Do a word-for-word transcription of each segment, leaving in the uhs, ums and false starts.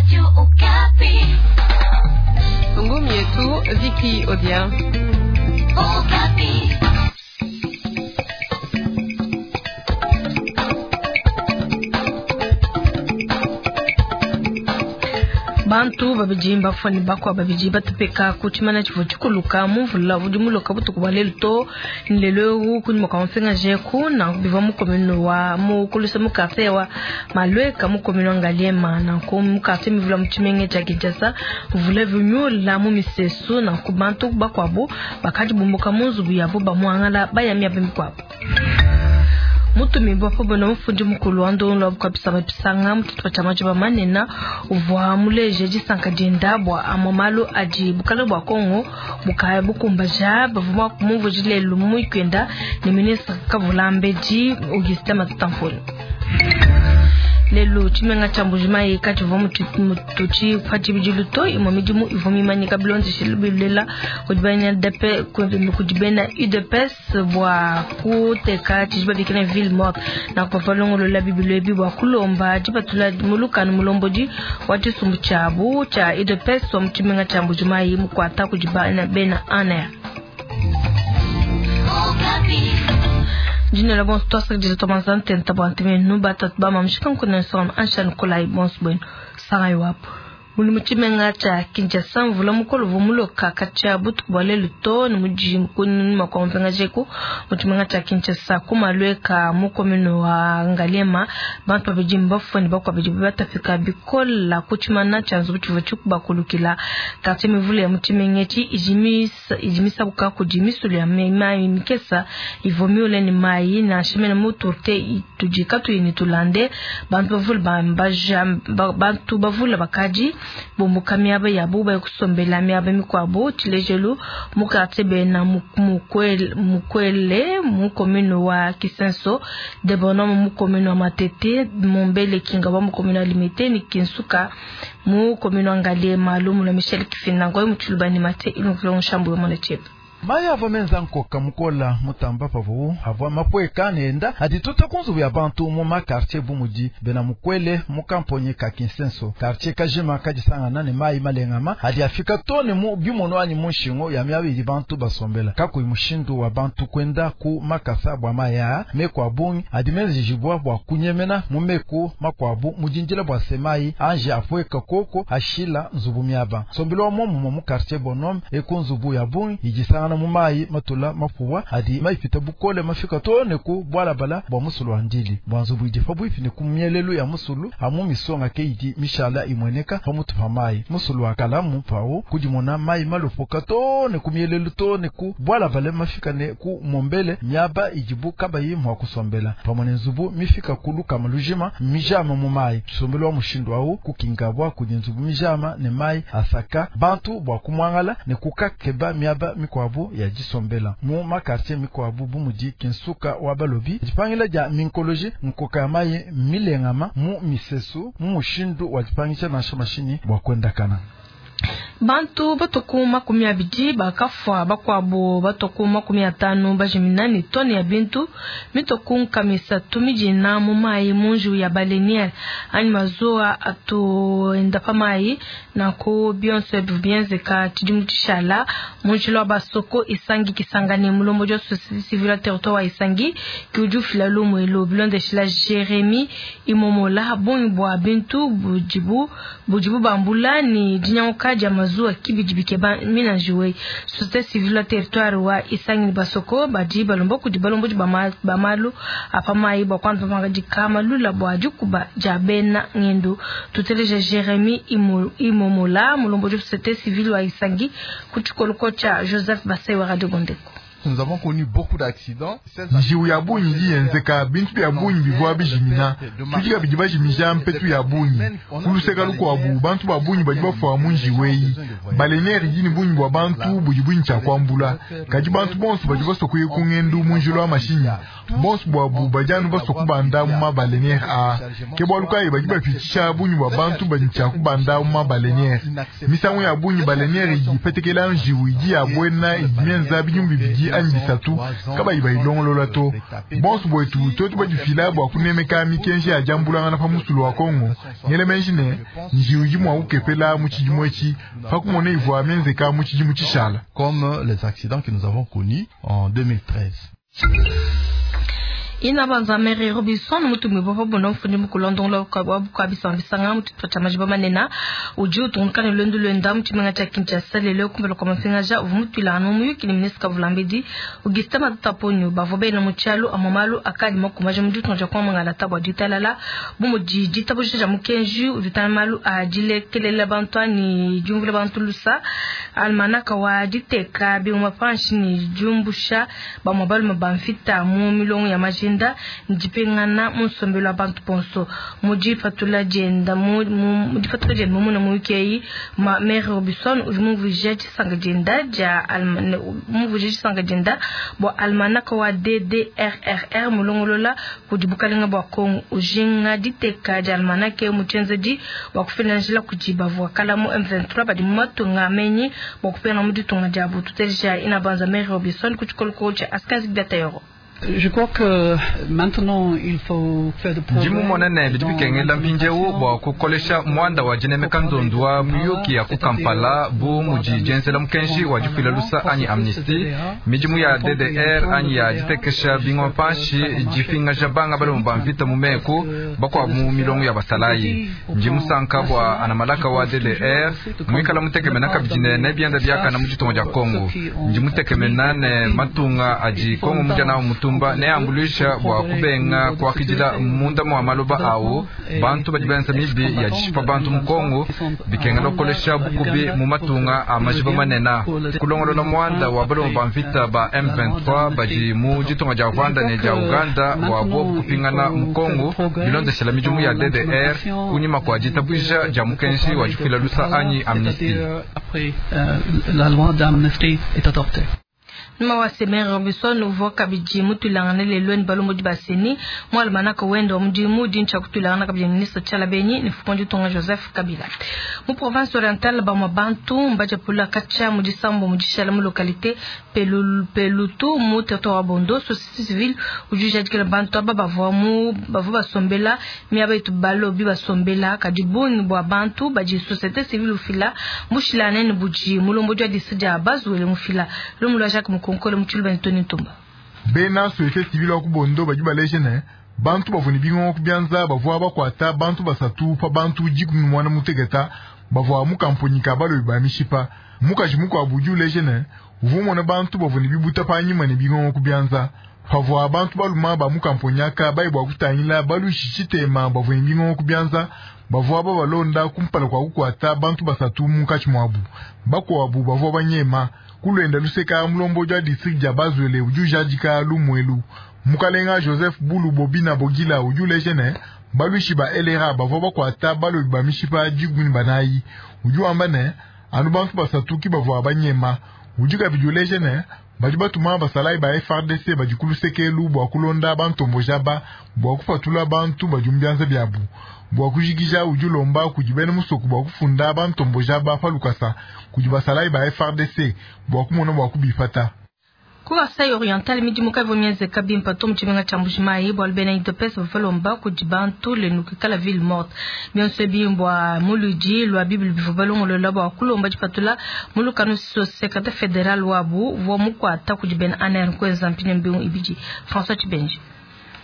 Radio Okapi. Ngumi yetu Vicky Odia. Okapi. Bantu babidi mbafua ne bakua babidi batupeka ku tshimana tshivua tshikuluka mu mvula udi muloka butuku bua lelu to ne lelu eu kunyima kua mupingaje ku nanku bivua mu commune wa mu kulusa mu quartier wa Malueka mu commune wa Ngaliema. Nanku mu quartier mivula mu tshimenga tshia Kinshasa mvula vinyula mu misesu, nanku bantu bakuabu bakadi bumbuka mu nzubu yabo bamuangala baya miaba mikuabu. Mutumibua pabona mufundi mukulu wa ndongo wa bukabisa mapisanga mututu tshia majiba manena uvua muleje disanka dienda bua amwe malu adi bukale bua Kongo bukaya bukumbaja bavua kumuvuje lelu mu mwikenda ne ministre Kavulambedi Augustin Matata Ponyo. Lelu tshimenga tshia Mbujimayi katshivua mututshi pa tshibidilu to imue midimu ivua mimanyika bilondeshile bilela kudi bena kudi bena U D P S bua kuteka tshidi babikila ville morte na kupalongolola bibilu ebi bua kulomba dipatula mulukanu mulombodi wa tshisumbu tshiabu tshia U D P S wa mu tshimenga tshia Mbujimayi mukuata kudi bena A N R. Jina la bonso twasakidila twamanza ntenta bua ntemenu batatu bamamishika nkuna nsonga ansha Nikolai bonso bwenu sangai wapo. Muli mu tshimenga tshia Kinshasa mvula mukolo uvua muloka katshia butuku bua lelu to ne mudi kunyima kua mupingajeku mu tshimenga tshia Kinshasa ku Malueka mu commune wa Ngaliema bantu babidi mbafue ne bakuabu babidi batapika bikola ku tshimana tshia nzubu tshivua tshikubakulukila. Quartier mivule ya mu tshimenga etshi idi misabuka kudi misulu ya mayi mikesa ivua miule ne mayi nansha mene mu turte tudi katuyi ne tulande. Bantu bavule bambaja bantu bavule bakadi bumbuka miaba yabo baya kusombela miaba mikuabu. Tshilejelu mu quartier bena mukwele mukwele mu commune wa Kisenso, de Bonhomme mu commune wa Matete, Mombele Kinga mu commune wa Limete ni Kinsuka mu commune wa Ngaliema. Lumu la Michel Kifinda ngoy mu Tshilubani Mate ilongolongo shambu yo mona chetu. Maya ava menza nkoka mukola mutamba pavu avua mapweka nenda adituta kunzubu ya bantu mu makartier bumudi bena mukwele mukamponye ka Kinsenso quartier kajima kadisangana ne mayi malengama adi afika tone mu bimono anyi mu nshingo ya miaba idi bantu basombela kakuyi mushindu wa bantu kwenda ku makasa bua maya meku abungi adi menzejibwa bua kunyemena mu meku makuabu mudindila bua semayi anje apweka koko ashila nzubu miaba sombelo wa momumo mu quartier Bonhomme eku nzubu ya bungi idisangana mu mayi matula mapuwa adi maipita bukole mafika tone ku bwalabala bwa musulu wa ndili bwa nzubu idi pabuipi ne ku mielelu ya musulu amu misonga ke idi mishala imweneka pamutu pa mayi musulu wa kalamu pawo kudimona mayi malopoka tone ku mielelu tone ku bwalabala mafika ne ku mombele miaba idibu kabayi mwa kusombela pamwe ne nzubu mifika kuluka malujima mijama mu mayi sombelo wa mushindu awu kukingabwa kudi nzubu mijama ne mayi asaka bantu bwa kumwangala ne kukakeba miaba mikwabu ya disombela mu makartier mikwabu bumudi Kinsuka wa balobi dipangila dia minkoloji nkoka ya mayi milengama mu misesu mu mushindu wa dipangisha nansha mashini bwa kwendakana. Bantu batoku makumi abidi bakafua bakuabu batoku makumi atanu bajimina ne tone ya bintu mitoku nkamisa tumijina mu mayi munju ya baleniere anyi mazuwa atuenda pa mayi nanku bionso bienzeka tshidimu tshishala munjila wa basoko Isangi Kisangani mulombo wa société civile territoire wa Isangi ki ufila lumu elo bilondeshila Jeremy Imomola bungi bua bintu budibu budibu bambula ni dinyanguka dia mazuwa kibidi bikeba minanjiwe. Société civile territoire wa Isangi basoko badi balombo kudi balombo ba malu apa mayi bua kwanza pangadika malula bua dikuba dia bena ngendo. Tuteleja Jeremy Imomola mulombo wa société civile wa Isangi ku tshikoloko tshia Joseph Basai wa Radio Bondeko. Nous avons connu beaucoup d'accidents. Njiwu ya bungi yenzeka bintu bya bungi bivua bijimina tudika bidi bajimija mpetu ya bungi kuluseka lukuabu bantu ba bungi badi bafua mu njiweyi baleniere idi ne bungi bua bantu budi bungi tshia kuambula kadi bantu bonso badi basua kuya ku ngendu mu njila wa mashinyi bonso buabu badi anu basua kubanda mu mabaleniere a ke bualu kayi badi bapitshisha bungi bua bantu badi tshia kubanda mu mabaleniere misangu ya bungi baleniere idi ipetekela njiwu idi ya buena idi mienza binyumbi bidi anyi bisatu kabayi bayilongolola to. Bonso bwetu twetu badifila bwa kunemeka mikenji ya diambulangana pa musulu wa Kongo ngele menji ne njiwu idi mua kukepela mu tshidimu etshi pa kumona ivua mienzeka mu tshidimu tshishala. Comme les accidents que nous avons connus en deux mille treize. Ina banza Mary Robinson mutumwi bwa bondo mfundi mukulondongola wa bukabisa bisanga mutupa cha majiba manena udi utungunuka lwendu lwenda mu tshimenga tshia Kinshasa lelo kumbela kwa mapingaja uvua mutuilangana mu muyuki ne ministre Kavulambedi Augustin Matata Ponyo. Bavua bena mu tshialu amwe malu akadi makumbaja mu ditunga dia kuamangala bua ditalala bu mudi ditabuja dia mukenji udi utana malu a dilekelela bantu anyi diumvula bantu lusa, almanaka wa diteka bingoma panshi ne diumbusha bamwe balume ba mvita mu milongo ya majinda ndipingana mu nsombelu wa bantu bonso. Mu dipatula dienda mu mu dipatula dienda mumuna muyuki eyi, ma Mary Robinson udi mumvuija disanka dienda dia mumvuija disanka dienda bua almanaka wa D D R R R mulongolola kudi bukalenga bua Kongo, ujinga diteka dia almanaka mu tshienzedi bua kufila njila kudi bavua kala mu M vingt-trois badi mu matunga amenyi bua kupingana mu ditunga diabu. Tuteleja Ina Banza Mary Robinson ku tshikolokolo tshia Askazi Biatayoro. Je crois que maintenant il faut faire de Ndi mumone ne bidi bikengela mpindiewu bua kukolesha muanda wa dinemeka ndondu wa muyuki ya ku Kampala bu mudi dienzela mukenji wa difuila lusa anyi amnistie, midimu ya D D R anyi ya ditekesha bingoma panshi, dipingaja banga balume ba mvita mu meku bakuabu mu milongo ya basalayi. Ndi musanka bua anamalaka wa D D R muikala mutekemena kabidi ne nebienda biakana mu ditunga dia Kongo. Ndi mutekemena ne matunga adi Kongo mudia nawu mutumba neambuluisha bua kubenga kuakidila munda mua maloba awu bantu badi benza mibi ya dishipa bantu mu Kongo. Bikengela kukolesha bukubi mu matunga a majiba manene, kulongolola muanda wa balume ba mvita ba M vingt-trois badi mu ditunga dia Rwanda ne dia Uganda bua bobu kupingana mu Kongo bilondeshela midimu ya D D R kunyima kua ditabuja dia mukenji wa difuila lusa anyi amnistie. Après euh, la loi d'amnistie est adoptée. Numa wa Mary Robinson uvua kabidi mutuilangana lelo ne balombodi ba CENI mu almanaka wende wa mudimu dintsha kutuilangana kabidi ministre Tshiala Benyi ne mfumu wa ditunga Joseph Kabila. Mu province orientale, bamwe bantu mbadiapula katshia mu disambo mu dishala mu localité Pelu, Pelutu mu territoire wa Bondo. Société civile udi ujadikila bantu aba bavua mu bavua basombela miaba itu balobi basombela, kadi bungi bua bantu badi société civile ufila mushilane ne budi mulombodi wa district dia Bas-Uele mufila. Lumu lua Jacques Mukonkole mu tshiluba ne Tony Ntumba. Bena société civile wa ku Bondo badi baleje ne bantu bavua ne bingongo ku bianza bavua bakuata bantu basatu pa bantu dikumi ne muanda muteketa bavua mu kamponyi ka balobi ba mishipa. Mukaji mukuabu udi uleje ne uvua umona bantu bavua ne bibuta panyima ne bingongo ku bianza. Pavua bantu baluma ba mu kamponyi aka bayi bua kutangila baluishi tshitema bavua ne bingongo ku bianza, bavua babalonda kumpala kua kukuata bantu basatu munkatshi muabu, bakuabu bavua banyema. Kulwenda luseka, mulombodi wa district dia Bas-Uele udi ujadika lumuelu. Mukalenga Joseph Bulu Bobina Bogila udi uleje ne baluishi ba L R A bavua bakuata balobi ba mishipa dikumi ne banayi. Udi wamba ne anu bantu basatu ki bavua banyema. Udi kabidi uleje ne badi batuma basalayi ba F A R D C badi ku lusekelu bua kulonda bantomboja ba bua kupatula bantu badi mu bianza biabu. Bua kujikija, udi ulomba kudi bena musoko bua kufunda bantomboja ba pa lukasa kudi basalayi ba F A R D C bua kumona bua kubipata. Ku Kasai Oriental, midimu kavua mienzeka bimpe to mu tshimenga tshia Mbujimayi bualu bena U D P S bavua balomba kudi bantu lenu kuikala ville morte. Bionso ebi mbua muludi lua bible bivua balongolola bua kulomba dipatula mu lukanu secrétaire fédéral wabu uvua mukuata kudi bena A N R kuenza mpinyo mbingu ibidi. François Tshibenji.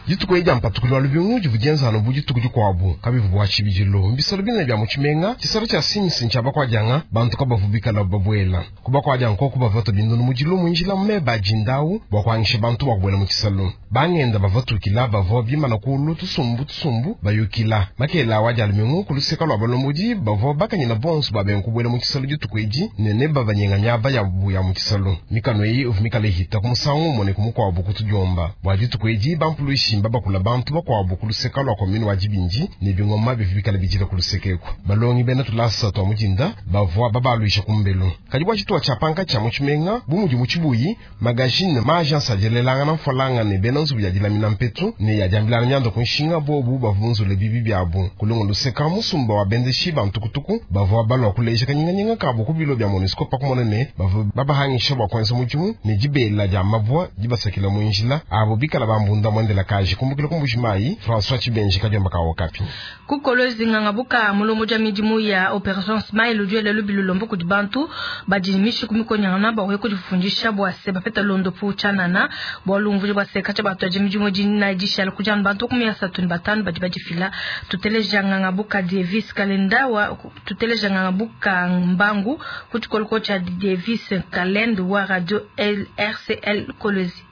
Dituku edi dia mpatukulu wa lubingu divua dienzanu bu dituku dikuabu kabivu bua tshibidilu. Mbisalo binene bia mu tshimenga, tshisalo tshia simisi ntshia bakuadianga, bantu kabavu bikala babuela ku bakuadianga koku bavua bindunu mudilu mu njila meba dindawu bua kuangisha bantu bua kubuela mu tshisalu. Bangenda bavatukila bavua bimana kulu tusumbu tusumbu bayukila makela wa dia lumingu. Ku luseka lua balombodi bavua bakanyina bonso babenga kubuela mu tshisalu dituku edi ne ne babanyenga miaba yabu ya mu tshisalu. Mikano eyi uvua mikala ihita ku musangu umue ne ku mukuabu kutudiomba bua dituku edi bampuluishi. bimba bakula bantu bakuabu ku luseka lua commune wa Dibindi ne bingoma bivua bikala bidila ku luseka eku. Balongi bena tulasa tua mudinda bavua babaluisha ku mbelu. Kadi bua tshitupa tshia pankatshi tshia mu tshimenga bu mudi mu tshibuyi magazine ma agence adielelangana mfolanga ne bena nzubu ya dilamina mpetu ne ya diambilana mianda ku nshinga bobu bavua bunzule bibi biabu. Kulungu luseka musumba wa bendeshi ba ntukutuku bavua balua kuleja kanyinganyinga kabu ku bilo bia MONUSCO pakumona ne bavua babahangisha bua kuenza mudimu ne dibela dia mabua dibasakila mu njila abo bikala bambunda mwendela kaji kumbukila ku Mbujimayi François Tshibenji kadiomba ka Okapi. Kukolwezi nganga buka mulomo ja midimu ya Operation Smile ujuele lubilu lombo kudi bantu badi mishiku mikonyangana bwa kujifundisha bwa se bapeta londo pu chanana bwa lumvu bwa se kacha batu aje midimu dina dishala kujana bantu kumi ya satu ni batanu badi badifila tuteleja nganga buka Davis Kalenda wa tuteleja nganga buka Mbangu kuchikoloko cha Davis Kalenda wa radio L R C L Kolwezi.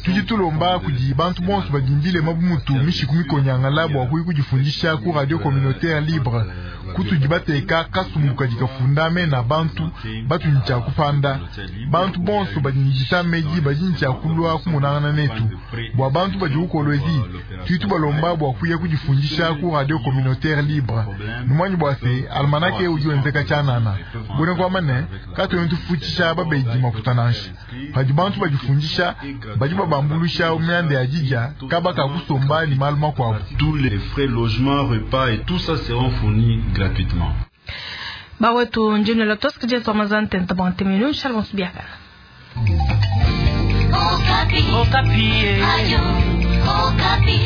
Tudi tulomba kudi bantu bonso badimbile mabumutu mishiku mikonyangala bwa kuyi kujifundisha ku radio communautaire libre kutudi bateka kasumbu kadi kafundame na bantu batu ncha kupanda bantu bonso badi njita meji badi ncha kulwa kumunangana netu bwa bantu badi ukolwezi tudi balomba bwa kuya kujifundisha ku radio communautaire libre numwanyi bwa se almanake udi wenzeka chanana bone kwa mane katu ntufutisha babeji makutananshi padi bantu bajifundisha badi babambulusha myanda ya jija kabaka kusomba ni maluma kwabo. Tous les frais logement, repas et tout ça seront fournis gratuitement. Bawetu njini la toska jetu amazante ntabante minu shalom subiaka. Okapi. Okapi. Ayo, Okapi.